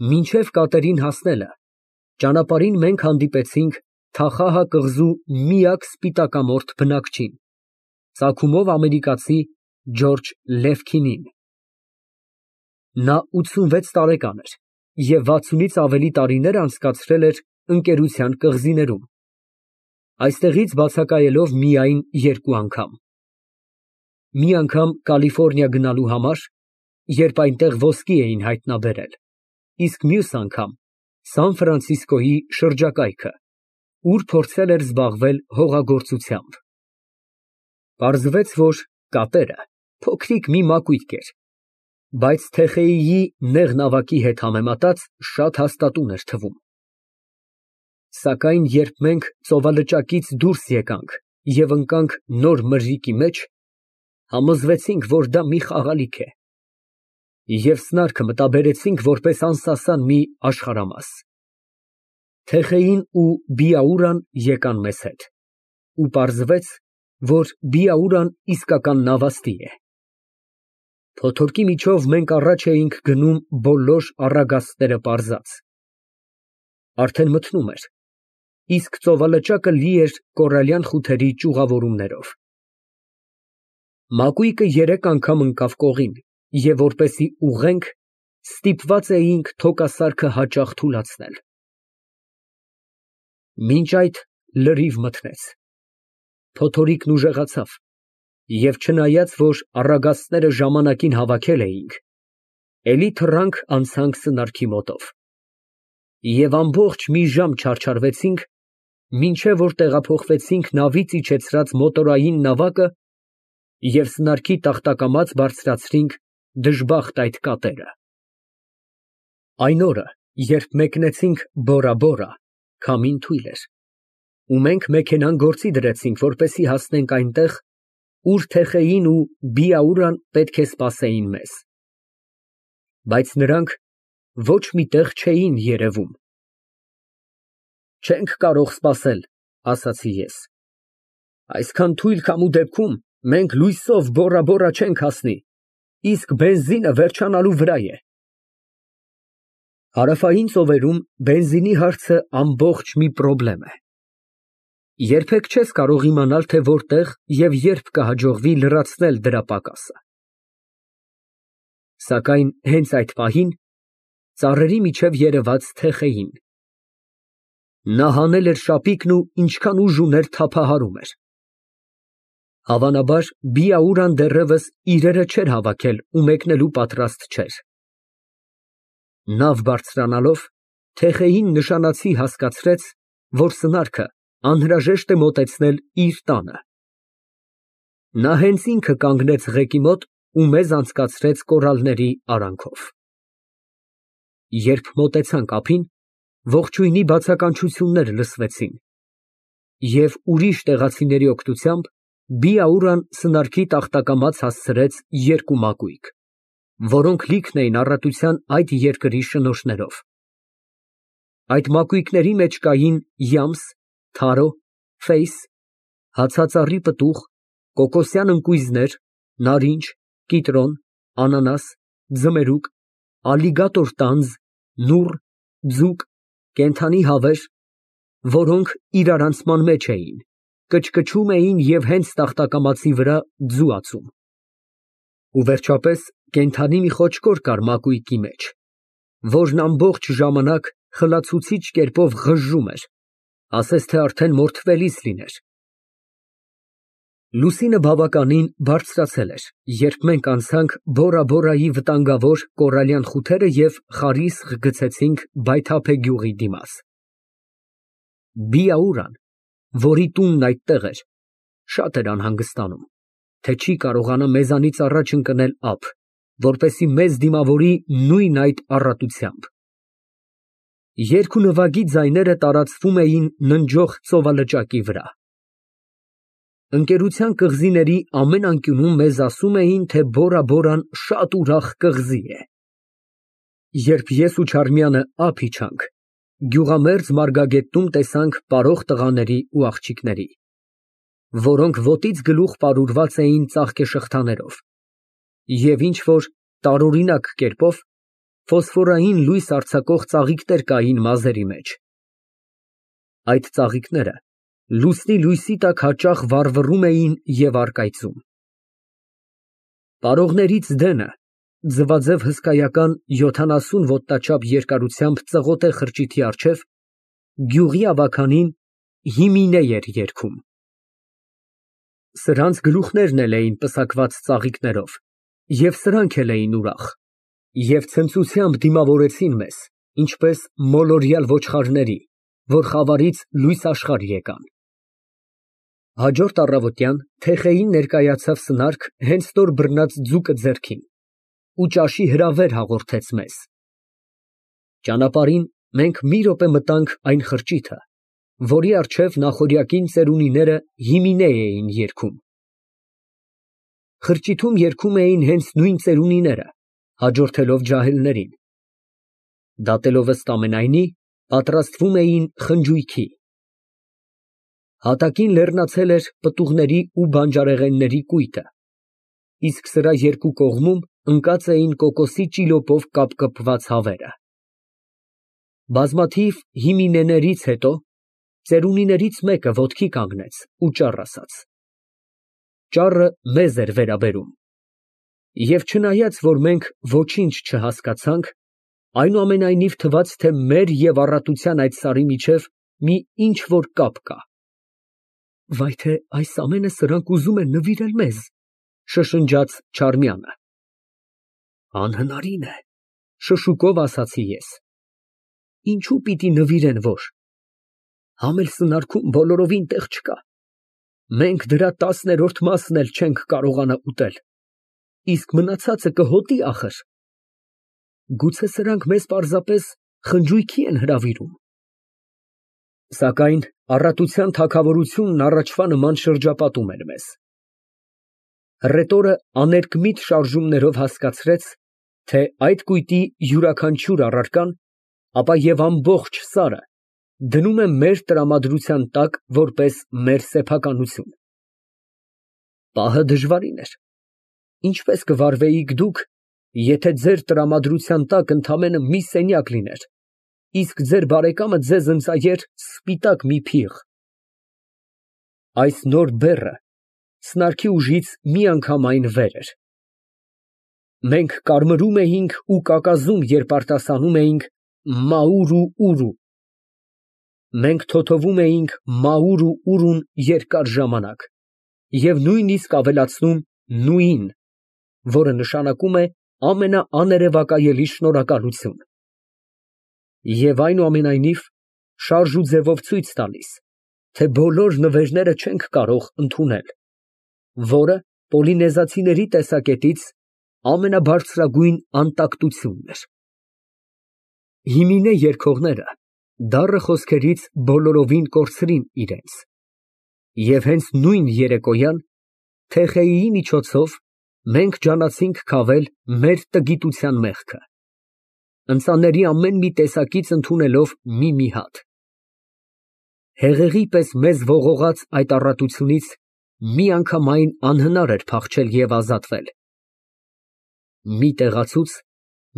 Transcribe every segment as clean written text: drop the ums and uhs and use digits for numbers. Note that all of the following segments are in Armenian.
Մինչև կատերին հասնելը ճանապարհին մենք հանդիպեցինք Թախահ կղզու միակ սպիտակամորթ բնակչին, ծագումով ամերիկացի Ջորջ Լևքինին։ Նա 86 տարեկան էր և 60-ից ավելի տարիներ անցկացրել էր ընկերության կղզիներում, այստեղից բացակայելով միայն 2 անգամ։ Մի անգամ Կալիֆոռնիա գնալու համար, երբ այնտեղ ոսկի էին հայտնաբերել, իսկ մյուս անգամ Սան Ֆրանցիսկոյի շրջակայքը, ուր փորձել էր զբաղվել հողագործությամբ։ Պարզվեց, որ կատերը փոքրիկ մի մակույրկ էր, բայց Թեխեյիի նեղ նավակի հետ համեմատած շատ հաստատուն էր թվում։ Սակայն երբ մենք ծովալճակից դուրս եկանք և ընկանք նոր մրրիկի մեջ, համոզվեցինք, որ դա մի խաղալիք է, և սնարքը մտաբերեցինք որպես անսասան մի աշխարհամաս։ Թեխեյին ու Բիաուրան եկան մեզ հետ, ու պարզվեց, որ Բիաուրան իսկական նավաստի է։ Փոթորկի միջով մենք առաջ էինք գնում բոլոր առագաստները պարզած։ Արդեն մթնում էր, իսկ ծովալճակը լի էր կորալյան խութերի ճյուղավորումներով։ Մակույկը 3 անգամ ընկավ կողին, և որպեսզի ուղղենք, ստիպված էինք թոկասարքը հաճախ թուլացնել։ Մինչ այդ լրիվ մթնեց, փոթորիկն ուժեղացավ, և չնայած, որ առագաստները ժամանակին հավաքել էինք, էլի թռանք անցանք սնարքի մոտով, և ամբողջ մի ժամ չարչարվեցինք, մինչև որ տեղափոխվեցինք նավից իջեցրած մոտորային նավակը և սնարքի տախտակամած բարձրացրինք դժբախտ այդ կատերը։ Այն օրը, երբ մեկնեցինք Բորա Բորա, քամին թույլ էր, ու մենք մեքենան գործի դրեցինք, որպեսզի հասնենք այնտեղ, ուր Թեխեյին ու Բիաուրան պետք է սպասեին մեզ։ Բայց նրանք ոչ մի տեղ չէին երևում։ «Չենք կարող սպասել», ասացի ես։ «Այսքան թույլ քամու դեպքում մենք լույսով Բորա Բորա չենք հասնի, իսկ բենզինը վերջանալու վրա է»։ Հարավային ծովերում բենզինի հարցը ամբողջ մի խնդրեմ է։ Երբեք չես կարող իմանալ, թե որտեղ և երբ կհաջողվի լրացնել դրա պակասը։ Սակայն հենց այդ պահին ծառերի միջև երևաց Թեխեյին։ Նա հանել էր շապիկն ու ինչքան ուժ ուներ թափահարում էր։ Հավանաբար Բիաուրան դեռևս իրերը չէր հավաքել ու մեկնելու պատրաստ չէր։ Նավ բարձրանալով, Թեխեյին նշանացի հասկացրեց, որ սնարքը անհրաժեշտ է մոտեցնել իր տանը։ Նա հենց ինքը կանգնեց ղեկի մոտ ու մեզ անցկացրեց կորալների արանքով։ Երբ մոտեցանք ափին, ողջույնի բացականչություններ լսվեցին, և ուրիշ տեղացիների օգնությամբ Բիաուրան սնարքի տախտակամած հասցրեց 2 մակույկ, որոնք լիքն էին առատության այդ երկրի շնորհներով։ Այդ մակույկների մեջ կային յամս, թարո, ֆեյս, հացածառի պտուղ, կոկոսյան ընկույզներ, նարինջ, կիտրոն, անանաս, ձմերուկ, ալիգատոր տանձ, նուռ, ձուկ, կենդանի հավեր, որոնք իրարանցման մեջ էին, կչկչում էին և հենց տախտակամածի վրա ձու ածում։ Ու վերջապես կենդանի մի խոչկոր կար մակույկի մեջ, որն ամբողջ ժամանակ խլացուցիչ կերպով ղժժում էր, ասես թե արդեն մորթվելիս լիներ։ Լուսինը բավականին բարձրացել էր, երբ մենք անցանք Բորա Բորայի վտանգավոր կորալյան խութերը և խարիսխ գցեցինք Բայթափե գյուղի դիմաց։ Բիաուրան, որի տունն այդտեղ էր, շատ էր անհանգստանում, թե չի կարողանա մեզանից առաջ ընկնել ափ, որպեսզի մեզ դիմավորի նույն այդ առատությամբ։ Երգ ու նվագի ձայները տարածվում էին ննջող ծովալճակի վրա։ Ընկերության կղզիների ամեն անկյունում մեզ ասում էին, թե Բորա Բորան շատ ուրախ կղզի է։ Երբ ես ու Չարմյանը ափ իջանք, գյուղամերձ մարգագետնում տեսանք պարող տղաների ու աղջիկների, որոնք ոտից գլուխ պարուրված էին ծաղկեշղթաներով, և ինչ֊որ տարօրինակ կերպով Ֆոսֆորային լույս արձակող ծաղիկներ կային մազերի մեջ։ Այդ ծաղիկները լուսնի լույսի տակ հաճախ վառվռում էին և առկայծում։ Պարողներից դենը ձվաձև հսկայական 70 ոտնաչափ երկարությամբ ծղոտ է խրճիթի առջև գյուղի ավագանին հիմինե էր երգում։ Սրանց գլուխներն էլ էին պսակված ծաղիկներով, և սրանք էլ էին ուրախ, և ցնծությամբ դիմավորեցին մեզ, ինչպես մոլորյալ ոչխարների, որ խավարից լույս աշխարհ եկան։ Հաջորդ առավոտյան թեխեին ներկայացավ սնարք հենց նոր բռնած ձուկը ձեռքին ու ճաշի հրավեր հաղորդեց մեզ։ Ճանապարհին մենք մի րոպե մտանք այն խրճիթը, որի առջև նախօրյակին ծերունիները հիմինե էին երգում։ Խրճիթում երգում էին հենց նույն ծերունիները, հաջորդելով ջահելներին։ Դատելով ըստ ամենայնի, պատրաստվում էին խնջույքի։ Հատակին լեռնացել էր պտուղների ու բանջարեղենների կույտը, իսկ սրա երկու կողմում ընկած էին կոկոսի ճիլոպով կապկպված հավերը։ Բազմաթիվ հիմինեներից հետո ծերունիներից մեկը ոտքի կանգնեց ու ճառ ասաց։ Ճառը մեզ էր վերաբերում, և չնայած, որ մենք ոչինչ չհասկացանք, այնուամենայնիվ թվաց, թե մեր և առատության այդ սարի միջև մի ինչ֊որ կապ կա։ Վայ թե այս ամենը սրանք ուզում են նվիրել մեզ, շշնջաց Չարմյանը։ Անհնարին է, շշուկով ասացի ես։ Ինչու պիտի նվիրեն, որ։ Համ էլ սնարքում բոլորովին տեղ չկա։ Մենք դրա 10-րդ մասն էլ չենք կարողանա ուտել, իսկ մնացածը կհոտի ախր։ Գուցե սրանք մեզ պարզապես խնջույքի են հրավիրում։ Սակայն առատության թագավորությունն առաջվա նման շրջապատում էր մեզ։ Հռետորը աներկմիտ շարժումներով հասկացրեց, թե այդ կույտի յուրաքանչյուր առարկան, ապա և ամբողջ սարը դնում է մեր տրամադրության տակ որպես մեր սեփականություն։ Պահը դժվարին էր։ Ինչպես կվարվեիք դուք, եթե ձեր տրամադրության տակ ընդամենը մի սենյակ լիներ, իսկ ձեր բարեկամը ձեզ ընծայեր սպիտակ մի փիղ։ Այս նոր բեռը սնարքի ուժից միանգամայն վեր էր։ Մենք կարմրում էինք ու կակազում, երբ արտասանում էինք մաուրու ուրու։ Մենք թոթվում էինք մաուրու ուրուն երկար ժամանակ և նույնիսկ ավելացնում նույին, որը նշանակում է ամենաաներևակայելի շնորհակալություն։ Եվ այնուամենայնիվ շարժ ու ձևով ցույց տալիս, թե բոլոր նվերները չենք կարող ընդունել, որը պոլինեզացիների տեսակետից ամենաբարձրագույն անտակտությունն էր։ Հիմինե երգողները դառը խոսքերից բոլորովին կորցրին իրենց, և հենց նույն երեկոյան թեխեիի միջոցով մենք ջանացինք քավել մեր տգիտության մեղքը, ընծաների ամեն մի տեսակից ընդունելով մի հատ։ Հեղեղի պես մեզ ողողած այդ առատությունից միանգամայն անհնար էր փախչել և ազատվել։ Մի տեղացուց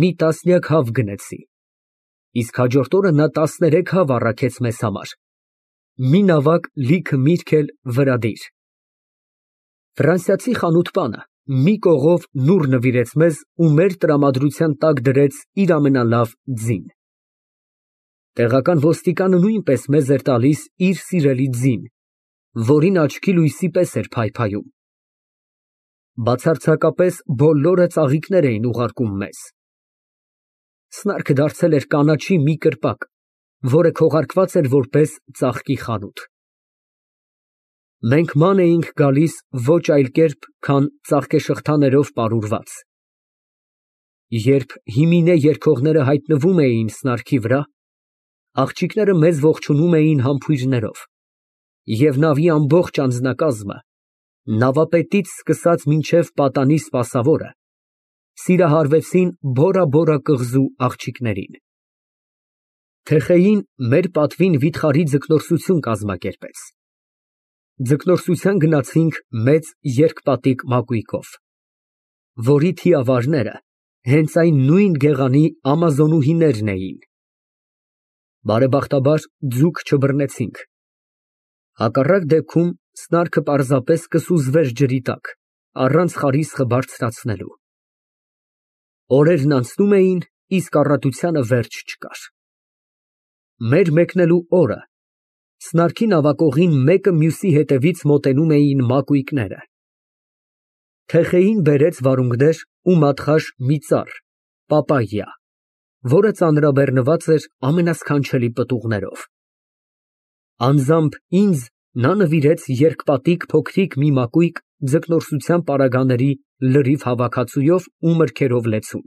մի տասնյակ հավ գնեցի, իսկ հաջորդ օրը նա 13 հավ առաքեց մեզ համար, մի նավակ լիքը միրգ էլ վրադիր։ Ֆրանսիացի խանութպանը մի կողով նուռ նվիրեց մեզ ու մեր տրամադրության տակ դրեց իր ամենալավ ձին։ Տեղական ոստիկանը նույնպես մեզ էր տալիս իր սիրելի ձին, որին աչքի լույսի պես էր փայփայում։ Բացարձակապես բոլորը ծաղիկներ էին ուղարկում մեզ։ Սնարքը դարձել էր կանաչի մի կրպակ, որը քողարկված էր որպես ծաղկի խանութ։ Մենք ման էինք գալիս ոչ այլ կերպ, քան ծաղկեշղթաներով պարուրված։ Երբ հիմինե երգողները հայտնվում էին սնարքի վրա, աղջիկները մեզ ողջունում էին համբույրներով, և նավի ամբողջ անձնակազմը, նավապետից սկսած մինչև պատանի սպասավորը, սիրահարվեցին բորա կղզու աղջիկներին։ Թեխեին մեր պատվին վիթխարի ձկնորսություն կազմակերպեց։ Ձկնորսության գնացինք մեծ երկպատիկ մակույկով, որի թիավարները Հենց այն նույն գեղանի ամազոնուհիներն էին։ Բարեբախտաբար ձուկ չբռնեցինք։ Հակառակ դեպքում սնարքը պարզապես կսուզվեր ջրի տակ, առանց խարիսխը բարձրացնելու։ Օրերն անցնում էին, իսկ առատությանը վերջ չկար։ Մեր մեկնելու օրը սնարքի նավակողին մեկը մյուսի հետևից մոտենում էին մակույկները։ Թեխեին բերեց վարունգներ ու մատխաշ մի ծառ, պապայյա, որը ծանրաբեռնված էր ամենասքանչելի պտուղներով։ Անձամբ ինձ նա նվիրեց երկպատիկ փոքրիկ մի մակույկ ձկնորսության պարագաների լրիվ հավաքածուով ու մրգերով լեցուն։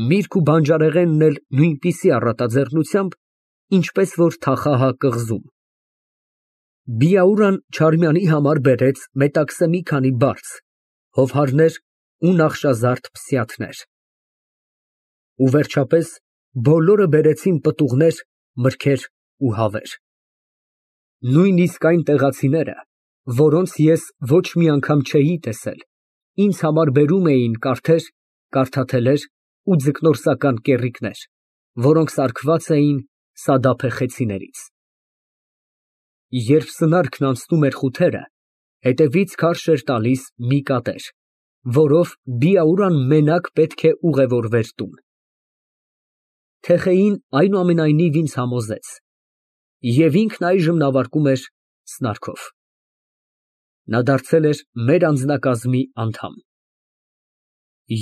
Միրգ ու բանջարեղենն էլ նույնպիսի առատաձեռնությամբ, ինչպես որ թախահա կղզում։ Բիաուրան Չարմյանի համար բերեց մետաքսե մի քանի բարձ, հովհարներ ու նախշազարդ փսյաթներ։ Ու վերջապես բոլորը բերեցին պտուղներ, մրգեր ու հավեր։ Նույնիսկ այն տեղացիները, որոնց ես ոչ մի անգամ չէի տեսել, ինձ համար բերում էին կարթեր, կարթաթելեր ու ձկնորսական կեռիկներ, որոնք սարքված էին սադափե խեցիներից։ Երբ սնարքն անցնում էր խութերը, հետևից քարշ էր տալիս մի կատեր, որով Բիաուրան մենակ պետք է ուղևորվեր տուն։ Թեխեին այնուամենայնիվ ինձ համոզեց, և ինքն այժմ նավարկում էր սնարքով։ Նա դարձել էր մեր անձնակազմի անդամ։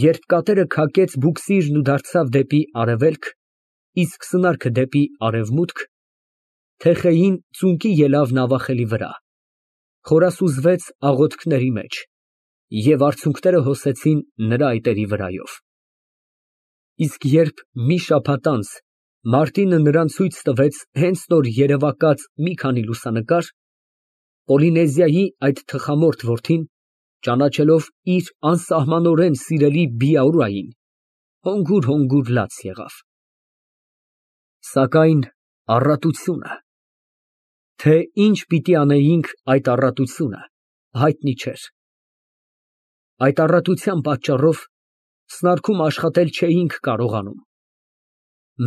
Երբ կատերը քակեց բուքսիրն ու դարձավ դեպի արևելք, իսկ սնարքը դեպի արևմուտք, Թեխեին ծունկի ելավ նավախելի վրա, խորասուզվեց աղոթքների մեջ, և արցունքները հոսեցին նրա այտերի վրայով։ Իսկ երբ մի շաբաթ անց Մարտինը նրան ցույց տվեց հենց նոր երևակած մի քանի լուսանկար, Պոլինեզիայի այդ թխամորթ որդին, ճանաչելով իր անսահմանորեն սիրելի Բիաուրային, հոգուր լաց եղավ։ Սակայն առատությունը… Թե ինչ պիտի անեինք այդ առատությունը, հայտնի չէր։ Այդ առատության պատճառով սնարքում աշխատել չէինք կարողանում։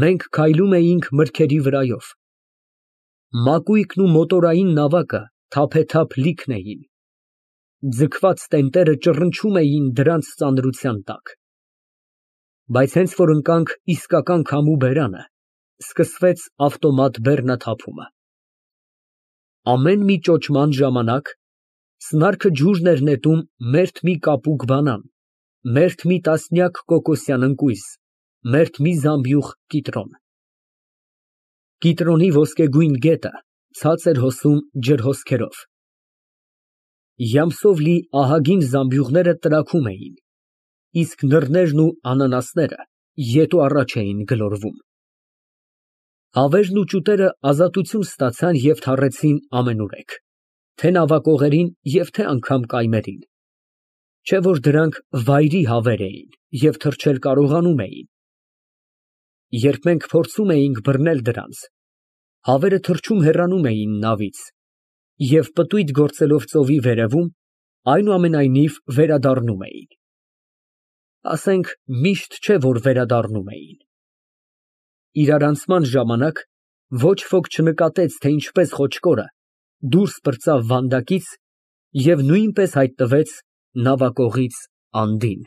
Մենք քայլում էինք մրգերի վրայով։ Մակույկն ու մոտորային նավակը թափեթափ լիքն էին։ Ձգված տենտերը ճռնչում էին դրանց ծանրության տակ։ Բայց հենց որ ընկանք իսկական քամու բերանը, սկսվեց ավտոմատ բեռնաթափումը։ Ամեն մի ճոճման ժամանակ սնարքը ջուրն էր նետում մերթ մի կապուկ բանան, մերթ մի տասնյակ կոկոսյան ընկույզ, մերթ մի զամբյուղ կիտրոն։ Կիտրոնի ոսկեգույն գետը ցած էր հոսում ջրհոսքերով։ Յամսով լի ահագին զամբյուղները տրաքում էին, իսկ նռներն ու անանասները ետ ու առաջ էին գլորվում։ Հավերն ու ճուտերը ազատություն ստացան և թռեցին ամենուրեք, թե նավակողերին և թե անգամ կայմերին, չէ որ դրանք վայրի հավեր էին և թռչել կարողանում էին։ Երբ մենք փորձում էինք բռնել դրանց, հավերը թռչում հեռանում էին նավից և պտույտ գործելով ծովի վերևում, այնուամենայնիվ վերադառնում էին։ Ասենք միշտ չէ, որ վերադառնում էին։ Իրարանցման ժամանակ ոչ ոք չնկատեց, թե ինչպես խոչկորը դուրս պրծավ վանդակից և նույնպես հայտնվեց նավակողից անդին։